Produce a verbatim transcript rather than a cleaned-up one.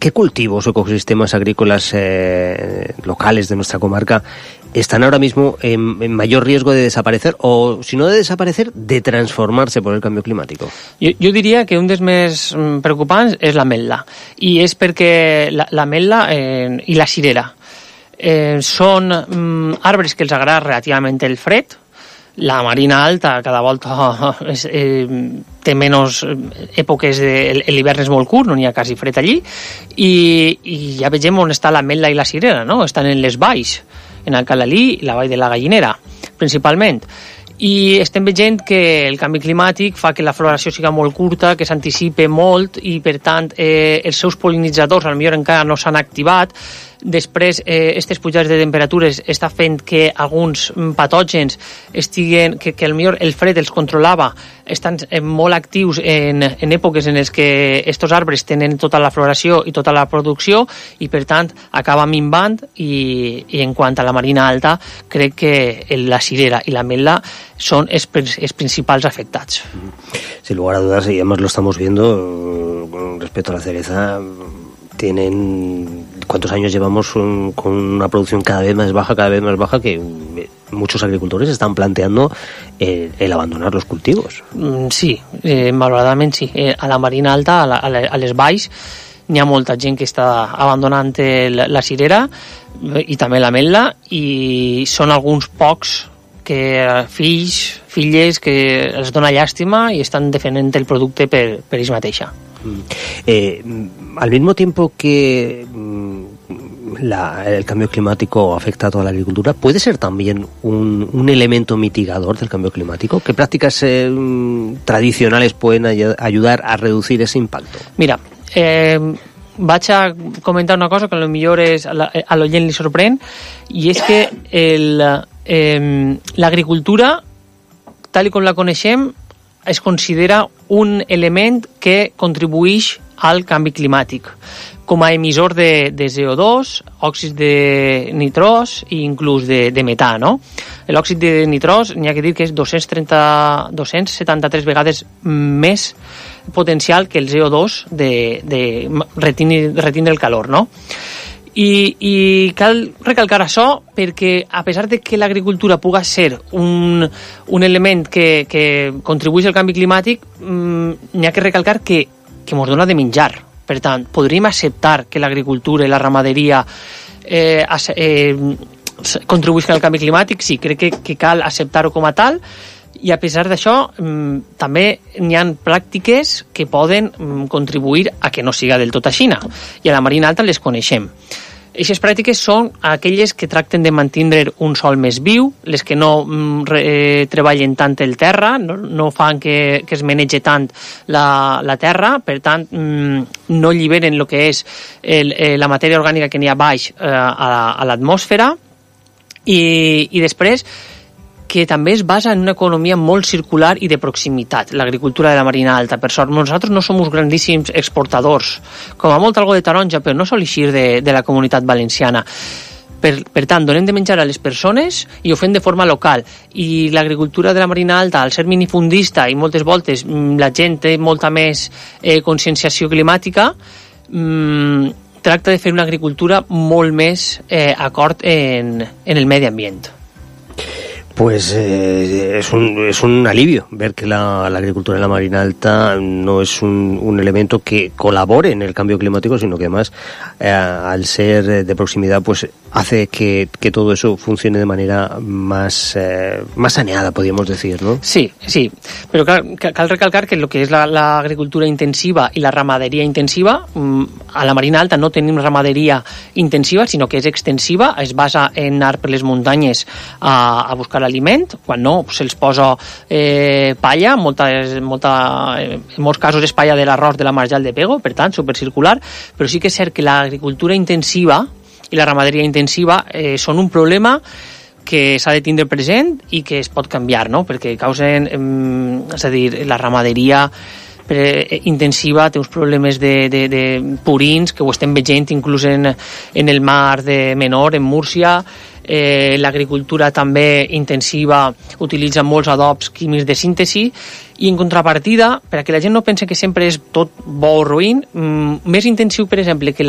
¿qué cultivos o ecosistemas agrícolas eh, locales de nuestra comarca están ahora mismo en, en mayor riesgo de desaparecer, o si no de desaparecer, de transformarse por el cambio climàtic? Jo, jo diria que un dels més preocupants és l'ametla, i és perquè l'ametla eh, i la cirera eh, són mm, arbres que els agrada relativament el fred. La marina alta cada volta és, eh, té menys èpoques, de, l'hivern és molt curt, no n'hi ha quasi fred allí, i, i ja vegem on està l'ametla i la cirera, no? Estan en les valls, en Alcalalí i la vall de la Gallinera, principalment. I estem veient que el canvi climàtic fa que la floració siga molt curta, que s'anticipe molt, i per tant eh, els seus pol·linitzadors potser encara no s'han activat. Després, eh, aquestes pujades de temperatures està fent que alguns patògens estiguen, que, que potser el fred els controlava, estan molt actius en, en èpoques en les que aquests arbres tenen tota la floració i tota la producció, i per tant acaba minvant, i, i en quant a la marina alta, crec que la cirera i l'ametla són els, els principals afectats. Sin lugar a dudas, y además lo estamos viendo con respecto a la cereza, tienen... ¿Cuántos años llevamos un, con una producción cada vez más baja, cada vez más baja, que muchos agricultores están planteando el, el abandonar los cultivos? Sí, eh, malauradament sí. Eh, a la marina alta, a, la, a, la, a les valls, n'hi ha molta gent que està abandonant el, la cirera i també l'ametla, i són alguns pocs que fills, filles, que els dona llàstima i estan defendent el producte per, per ells mateixa. Eh, al mismo tiempo que la, el cambio climático afecta a toda la agricultura, ¿puede ser también un, un elemento mitigador del cambio climático? ¿Qué prácticas eh, tradicionales pueden ay- ayudar a reducir ese impacto? Mira, eh, vaig a comentar una cosa que a lo millor és, a, la, a l'oient li sorprèn, i és que el, eh, l'agricultura, tal com la coneixem, es considera un element que contribueix al canvi climàtic, com a emissor de, de C O dos, òxid de nitrós i inclús de, de metà, no? L'òxid de nitrós n'hi ha que dir que és dos-cents trenta, dos-cents setanta-tres vegades més potencial que el C O dos de, de retindre, retindre el calor, no? I, i cal recalcar això perquè, a pesar de que l'agricultura puga ser un, un element que, que contribueix al canvi climàtic, mmm, n'hi ha que recalcar que, que ens dona de menjar. Per tant, podríem acceptar que l'agricultura i la ramaderia eh, eh, contribueixen al canvi climàtic? Sí, crec que, que cal acceptar-ho com a tal, i a pesar d'això mmm, també n'hi ha pràctiques que poden mmm, contribuir a que no siga del tot així, i a la marina alta les coneixem. Aquestes pràctiques són aquelles que tracten de mantenir un sòl més viu, les que no mm, re, eh, treballen tant el terra, no, no fan que, que es menege tant la, la terra, per tant mm, no alliberen el que és el, eh, la matèria orgànica que n'hi ha baix eh, a, a l'atmosfera, i, i després que també es basa en una economia molt circular i de proximitat, l'agricultura de la marina alta. Per sort, nosaltres no som uns grandíssims exportadors, com a molt algo de taronja, però no sol eixir de, de la comunitat valenciana. Per, per tant, donem de menjar a les persones i ho fem de forma local. I l'agricultura de la marina alta, al ser minifundista, i moltes voltes la gent té molta més eh, conscienciació climàtica, mmm, tracta de fer una agricultura molt més eh, acord en, en el medi ambient. Pues eh, es, un, es un alivio ver que la, la agricultura en la marina alta no es un, un elemento que colabore en el cambio climático, sino que además, eh, al ser de proximidad, pues hace que, que todo eso funcione de manera más, eh, más saneada, podríamos decir, ¿no? Sí, sí, pero cal, cal recalcar que lo que es la, la agricultura intensiva y la ramadería intensiva, a la marina alta no tenim ramaderia intensiva, sinó que és extensiva, es basa en anar per les muntanyes a, a buscar aliment, quan no se'ls posa eh, palla, molta, molta, en molts casos és palla de l'arròs de la marjal de pego, per tant, supercircular, però sí que és cert que l'agricultura intensiva i la ramaderia intensiva eh, són un problema que s'ha de tindre present i que es pot canviar, no? Perquè causen, eh, és a dir, la ramaderia eh, intensiva té uns problemes de, de, de purins, que ho estem veient inclús en, en el mar de Menor, en Múrcia. Eh, l'agricultura també intensiva utilitza molts adobs químics de síntesi, i en contrapartida, perquè la gent no pensa que sempre és tot bo o ruïn, mm, més intensiu, per exemple, que